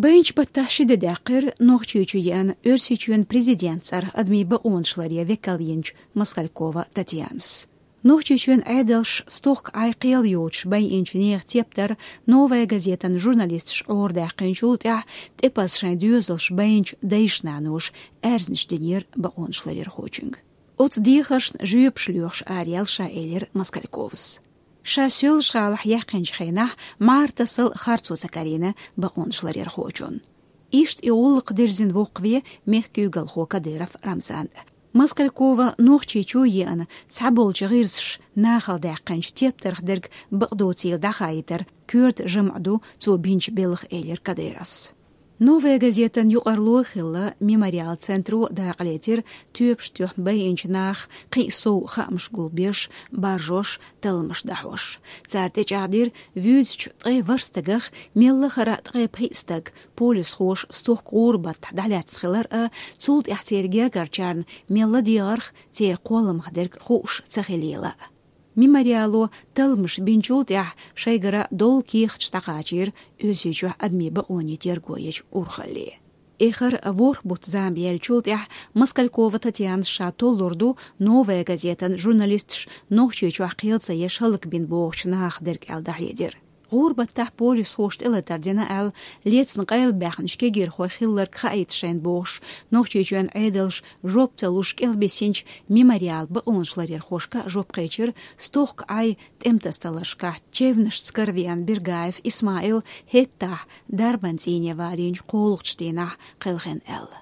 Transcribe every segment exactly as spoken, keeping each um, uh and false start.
Байначу баттахь ши де даьккхира Нохчийчу еана Оьрсийчоьнан президентан цӀарах адамийн бакъонашларъяран векал йинчу Москалькова Татьянас. Нохчийчоьнан Ӏедалша стохка Ӏай кхел йоцуш байинчу нехан тептар «Новая газетан» журналисташа Ӏорадаьккхинчул тӀаьхьа тӀепаза шайн доьзалш байначу дайша-наноша аьрзнаш динера бакъонашларъярхочуьнга. Оцу дехаршна жоьпаш лоьхуш араяьлла ша элира Москальковас. Ша Соьлжа-ГӀалахь яьккхинчу хенахь мӀара тасал харцо ца карийна бакъонашларъярхочунна. Иштта и гӀуллакх дирзина воккхаве мехкан куьйгалхо Кадыров Рамзан. Москалькова Нохчийчу еана цхьаболчу гӀирсаша нахала даьккхинчу тептарх дерг бакъдоцийла дӀахаийтар коьрта жамӀ ду цо бинчу белхан, элира Кадыровс. «Новая газетан» юкъарло а хилла, «Мемориал» центро дакъалецира тоьпаш тоьхна байинчу наха кхин а сов хаамаш гулбеш, баржош, талламаш дӀахьош. Цара тӀечӀагӀдира вуьйцучу ткъе ворхӀ стагах мелла а хара ткъе пхиъ стаг полисхоша стохка гӀуран баттахь дӀалаьцна хилар а, цул тӀаьхьа церан гергарчарна мелла а дегӀарх церан кхолламах дерг хууш ца хилийла а. «Мемориало» талламаш бинчул тӀаьхьа шайгара долу кехаташ дӀакхачийра Оьрсийчохь адамийн бакъонийн терго ечу урхалле. Эххар ворхӀ бутт зама яьллачул тӀаьхьа Москалькова Татьянас ша толлур ду «Новая газетан» журналисташ Нохчийчохь кхел ца еш хӀаллакбина бохучу нахах дерг аьлла дӀахьедира. ГӀуран баттахь полисхоша тӀелатар дина аьлла, лецна къайлабаьхначу кегийрхойх хилларг хаийта шайна бохуш, Нохчийчоьнан Ӏедалша жоп ца луш кӀелбисинчу «Мемориал» бакъонашларъярхошка а жоп кхечира стохка Ӏай тӀематасадаларшкахь чевнашца каравеана Бергаев Исмаил хӀетахь дарбан цӀийне валийначу кхоалгӀачу дийнахь кхелхина аьлла.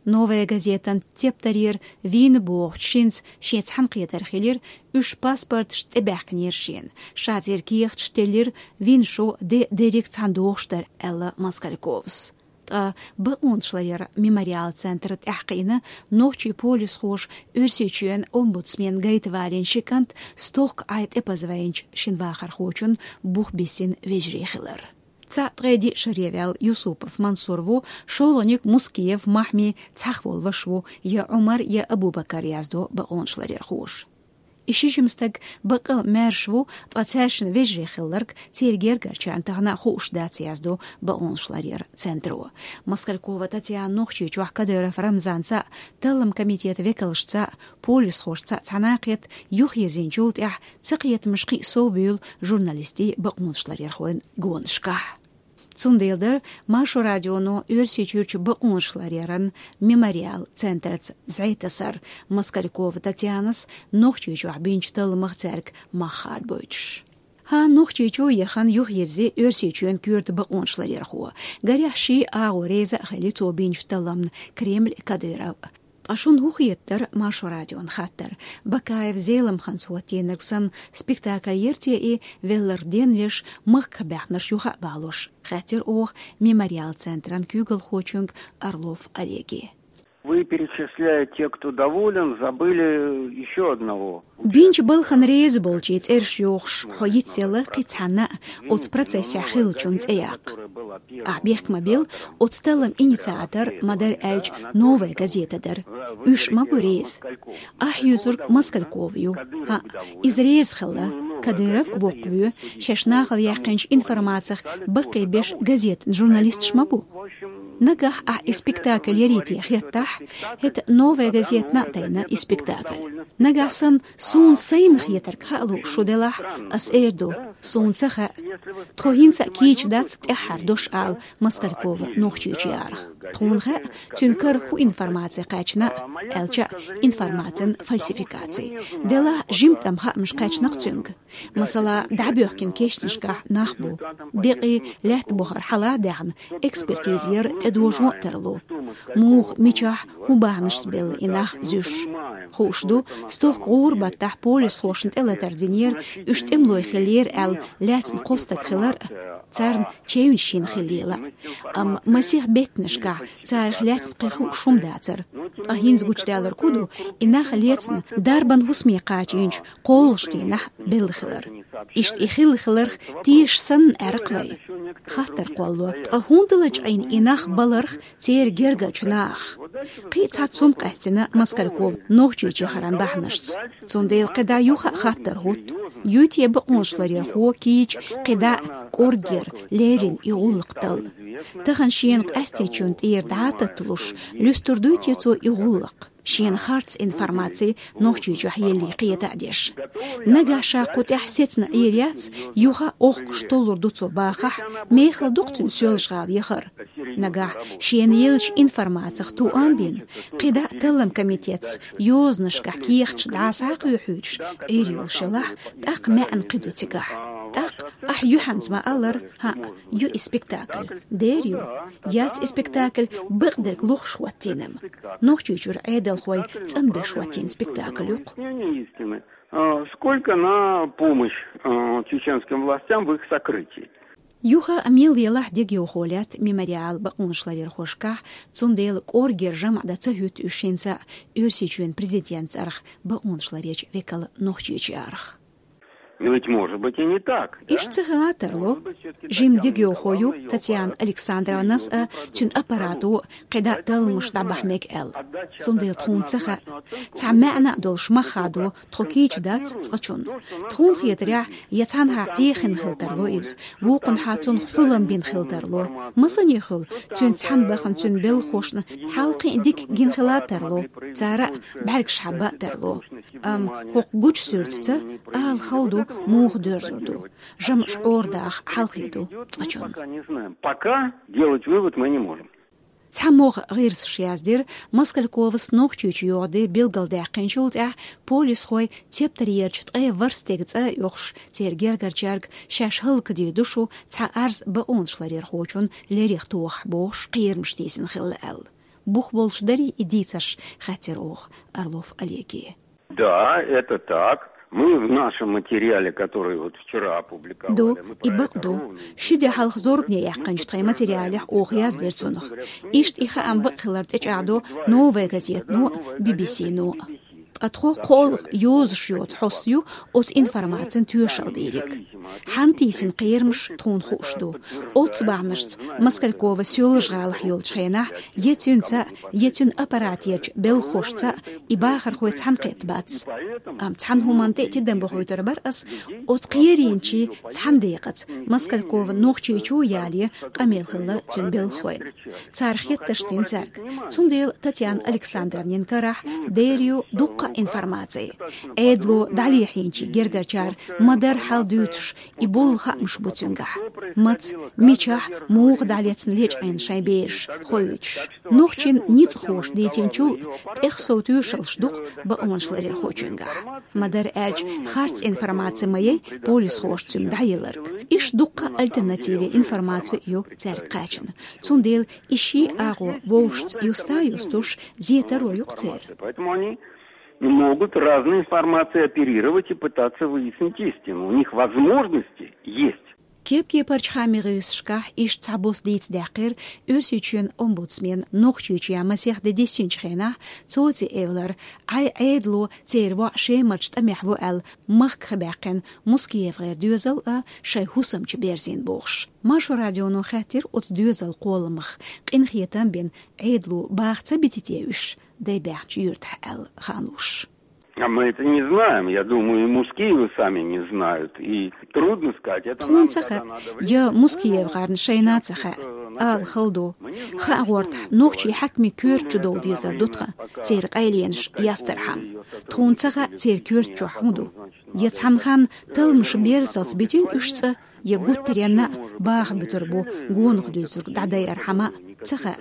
«Новая газетан» тептарера вийна бохучу шинца шен цхьаьнакхетар хилира, уьш паспорташца тӀебаьхкинера шена, ша церан кехаташ теллира, вина шо де дерриг цхьаьна дохуш дара, аьлла Москальковас. Ткъа бакъонашларъяран «Мемориал» центр тӀаьхьакхиъна, нохчийн полисхоша Оьрсийчоьнан омбудсмен гайта валийна ши кӀант стохка Ӏай тӀепаза вайначу шина вахархочун бух бисина вежарий хилар. Цхьаъ ткъе диъ шаре ваьлла Юсупов Мансур ву, шолгӀаниг Мускиев Махьми цхьаьхволу ваша ву, я Ӏумар, я Абу-Бакар, яздо бакъонашларъярхоша. И ши жима стаг баккъал а маьрша ву, ткъа цаьршинна вежарий хилларг церан гергарчарна тахана а хууш дац, яздо бакъонашларъяран центро. Москалькова Татьяна Нохчийчохь Кадыров Рамзанца а, таллам комитетан векалшца а, полисхошца а цхьаьна а кхетта, юхайирзинчул тӀаьхьа цакхетамаш кхин а сов буьйлу журналистийн, бакъонашларъярхойн гонашкахь. Цундела дара Маршо радионо Оьрсийчуьрчу бакъонашларъяран «Мемориал» центрца зӀе тасар, Москалькова Татьянас Нохчийчохь бинчу талламах цаьрга мах хадабойтуш. ХӀан, Нохчийчу яхана юхайирзи Оьрсийчоьнан коьрта бакъонашларъярхо. Гарехь, ший агӀо реза а хили цо бинчу талламна Кремль а, Кадыров а. Ткъа шуна хӀун хетара, Маршо радион хаттар, Бакаев Зеламханца хӀоттийнарг санна спектакль яра те и, велларх денвеш, махках баьхнарш юха а балош, хаьттира оха «Мемориал» центран куьйгалхочуьнга Орлов Олеге. Вы перечисляете, кто доволен, забыли еще одного. Бинчу балхана реза болчийн цӀераш йохуш, хьо йицъелла кхин цхьанна а оцу процессехь хиллачун цӀе яккха. Ахь бехк ма билла, оцу таллам инициатор, ма-дарра аьлча, «Новая газета» дара. Уьш ма бу реза. Ахь юьйцург Москалькова ю. ХӀаъ, иза реза хилла, Кадыров а воккхавоь, шаьш нахала яьккхинчу информацих баккхийбеш газетан журналисташ ма бу. Нагахь ахь и спектакль ярий те хеттахь, хӀета «Новая газетана» а тайна и спектакль. Нагахь санна суна сайна хетарг хаа лууш шу делахь, ас эр ду, суна ца хаьа. Тхо хӀинца а кийча дац тӀаьххьара дош ала Москалькова Нохчийчу ярах. Тхуна хаьа, цуьнан кара хӀун информаци кхаьчна, аьлча а информацин фальсификаци. Делахь жимма тӀама хаамаш кхаьчна-кх цуьнга. Масала, дӀабоьхкина кешнашкахь нах бу. Декъий лаьтта бухара хьала а даьхна, экспертиза яр тӀедожо а тарло. Муха, мичахь, хӀун бахьанашца белла и нах зуьйш. Хууш ду, стохка гӀуран баттахь полисхошна тӀелатар динера, уьш тӀемалой хиллера аьлла лаьцна кхо стаг хилар а, царна чевнаш йина хиллийла а. Амма масех беттанашкахь царах лаьцна кхин хууш хӀума дацара. Ткъа хӀинца гучудаьлларг хӀун ду, и нах лецна дарбан хӀусаме кхачийначу кхоалгӀачу дийнахь белла хилар. Иштта и хилла хиларх теша санна аьрра-кх вай. Хаттар кхоллало, ткъа хӀунда лачкъийна и нах баларх церан гергарчу нахах? Кхин а цхьацца хӀума къаьстина Москалькова Нохчийчу яхаран бахьанашца. Цундела кхидӀа юха а хаттар хӀутту: юй те бакъонашларъярхо кийча кхидӀа а кӀорггера леррина и гӀуллакх талла? Тахан шена къаьстинчун тӀера дӀататталуш, луьстур дуй те цо и гӀуллакх, шена харц информаци Нохчийчохь елли кхета а деш. Нагахь ша кху тӀехь сецна Ӏийр яц, юха охкуш толлур ду цо бахахь, мехала дукха цуьнан соьлжа-гӀала яхар. Нагахь шена еллачу информацих тоам бина, кхидӀа а таллам комитетца йозанашкахь кехаташ дӀасхьакхуьйхьуьйтуш Ӏийр йолуш елахь, тӀаккха маьӀна кхин ду цигахь. ТӀаккха ахь юьхьанца ма-аллара, хӀаъ, ю и спектакль. Дера ю, яц и спектакль бакъдерг лохуш хӀоттийна-м. Нохчийчуьра Ӏедалхой цӀанбеш хӀоттийна спектакль ю-кх. Э, сколько на помощь, э, чеченским властям в их сокрытии. Юха а мел елахь дегайовхо лаьтта «Мемориал» бакъонашларъярхошкахь, цундела кӀоргера жамӀ дан ца хӀуьтту уьш хӀинца а Оьрсийчоьнан президентан цӀарах бакъонашларъечу векала Нохчийчу арахь. Но ведь может быть и не так, да? Иштта ца хила а тарло. Жимма дегайовхо ю Татьяна Александровнас а, цуьнан аппарато а кхидӀа а талламаш дӀабахьа мега аьлла. Цундела тхуна ца хаьа. Цхьа маьӀна а долуш мах хадо тхо кийча дац цкъачунна. Тхуна хетарехь, я цхьанхьа Ӏехийна хила тарло иза, вукхунхьа цунах хьулам бина хила тарло. Масане хуьлу, цуьнца цхьаьна бахана цуьнан белхахошна хьалкхин а дика гина хила а тарло. Цара а бӀаьргаш хьабба а тарло. Амма хӀокху гучу суьртаца ала хала ду, муха доьрзур ду. ЖамӀаш Ӏора даха хьалхе ду цкъачунна. Пока не знаем. Пока делать вывод мы не можем. Цхьа могӀа гӀирсаша яздира, Москальковас Нохчийчу йогӀу де билгалдаьккхинчул тӀаьхьа полисхой тептарерчу ткъе ворхӀ стеган цӀа а оьхуш, церан гергарчаьрга шаьш хӀаллакдийр ду шу, цхьа Ӏаьрз бакъонашларъярхочунна леррина тохахь бохуш, кхерамаш тийсина хилла аьлла. Бух болуш дарий и дийцарш, хаьттира оха Орлов Олеге. Да, это так. Мы в нашем материале, который вот вчера опубликовали, ду, и бакъ ду. Ши де хьалха зорбане яьккхинчу тхайн материалехь оха яздира цунах. Иштта и хаам бакъ хилар тӀечӀагӀдо «Новая газетано» а, «Би-би-сино» а. Ткъа тхо кхоалгӀа йозуш йоцу хьоста ю оцу информацин тоьшалла дийриг. Хьанна тийсина кхерамаш тхуна хууш ду. Оццу бахьанашца Москалькова соьлжа-гӀалахь йолчу хенахь я цуьнца, я цуьнан аппаратерчу белхахошца и бахархой цхьаьнакхетта бац. Амма цхьана хӀуманна тӀе а тидам бохуьйтур бара ас, оцу кхерийначийн цхьана декъаза Москалькова Нохчийчу яле къамел хилла цуьнан белхахойн. Цара хеттарш дина цаьрга. Цундела Татьяна Александровнин карахь дера ю дуккха а информаци. Ӏедало дӀалехьийначийн гергарчара ма-дарра хьал дуьйцуш, и болу хаамаш бу цуьнгахь. Маца, мичахь, муха дӀалецна лечкъийна шайн бераш хоуьйтуш. Нохчийн ницкъахоша дийцинчул а тӀехсов тоьшаллаш ду-кх бакъонашларъярхочуьнгахь. Ма-дарра аьлча, харц информаци ма яй полисхоша цуьнга дӀаелларг. Иштта дуккха а альтернативе информаци ю цаьрга кхаьчна. Цундела и ши агӀо вовшашца юста а юстуш, зе таро ю-кх церан. Поэтому они могут разной информацией оперировать и пытаться выяснить истину. У них возможности есть. Кеп-кепарчу хаамийн гӀирсашкахь иштта цхьабосса дийца даьккхира Оьрсийчоьнан омбудсмена Нохчийчу ян масех де диссинчу хенахь цо ца эвлара, Ӏай Ӏедало церан воӀ Шемарчу тӀамехь ву аьлла махках баьккхина МускиевгӀеран доьзал а шайн хӀусамчу берзийна бохуш. Маршо радионо хаьттира оцу доьзалан кхолламах, къинхетам бина, Ӏедало баха ца бити те уьш дай баьхначу юьртахь аьлла, хаалуш. А мы это не знаем. Я думаю, и Мускиевы сами не знают. И трудно сказать. Это Тхуна нам ца тогда хаьа, надо я время. МускиевгӀарна шайна а ца хаьа, ала хала ду. Хаа гӀортахь, нохчийн хьаькамийн коьрта чу довла дезар ду тхан, церан къайленаш ястархьама. Тхуна ца хаьа, церан коьрта чохь хӀун ду. Я цхьана ханна талламаш берзалц битина уьш цӀа, я гуттаренна а баха буьтур бу гонах дуьйцург дӀадайархьама а, ца хаьа.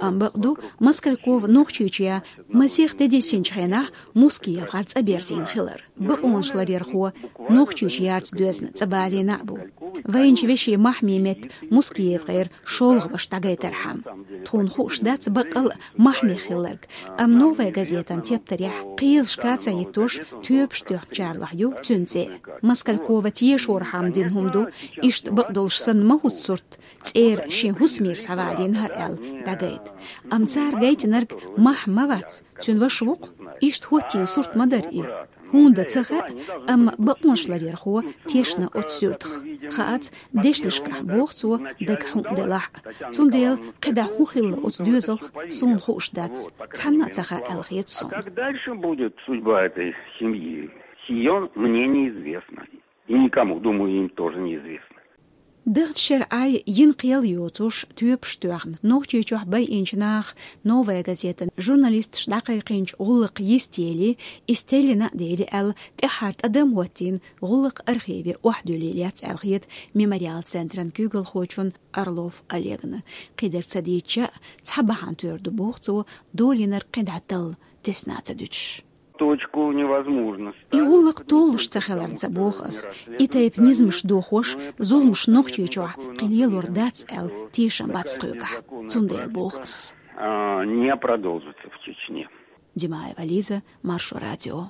Амма бакъ ду, Москалькова Нохчийчу ян масех де диссинчу хенахь МускиевгӀар цӀа берзийна хилар. Бакъонашларъярхо Нохчийчу ярца доьзна цӀа балийна а бу. Вайначу вешин Махьмин метта МускиевгӀеран шолгӀа ваша дӀагайтархьама. Тхуна хууш дац баккъал а Махьмех хилларг, амма «Новая газетан» тептарехь кхелашка а ца хӀиттош тоьпаш тоьхначарлахь ю цуьнан цӀе. Москалькова тешорхьама дина хӀума ду, иштта бакъдолуш санна ма хӀутту сурт, цӀера шен хӀусамера схьавалийна хӀара аьлла дӀагайта. Амма цара гайтинарг Махьма вац, цуьнан ваша ву-кх. Иштта хӀоттийна сурт ма дара и. ХӀунда ца хаьа, амма бакъонашларъярхо тешна оцу суьртах. Хаац, дешнашкахь боху цо, дага хьун делахь а. Цундела кхидӀа хӀун хилла оцу доьзалх, суна хууш дац. Цхьанна а ца хаьа аьлла хета суна. А как дальше будет судьба этой семьи? Сие мне неизвестно. И никому, думаю, им тоже неизвестно. Дахча шера Ӏай йина кхел йоцуш тоьпаш тоьхна Нохчийчохь байинчу наха «Новая газетан» журналисташ дӀакхайкхинчу гӀуллакхан йистелла, иза теллина а дели аьлла, тӀаьххьара тӀадам хӀоттийна гӀуллакхан архиве охьадуьллий лаьцна аьлла хета «Мемориал» центран куьйгалхочунна Орлов Олегна. Кхидерг ца дийцча а, цхьа бахьана тера ду боху цо, долийнарг кхин дӀа талла тесна ца дуьтуш. Точку невозможно. И гӀуллакх толлуш ца хиларна ца боху ас. И тайпа низамаш дохош, зуламаш Нохчийчохь кхин лелор дац аьлла тешам бац тхоьгахь. Цундела боху ас. А, не продолжится в Чечне. Димаева Лиза, Маршо радио.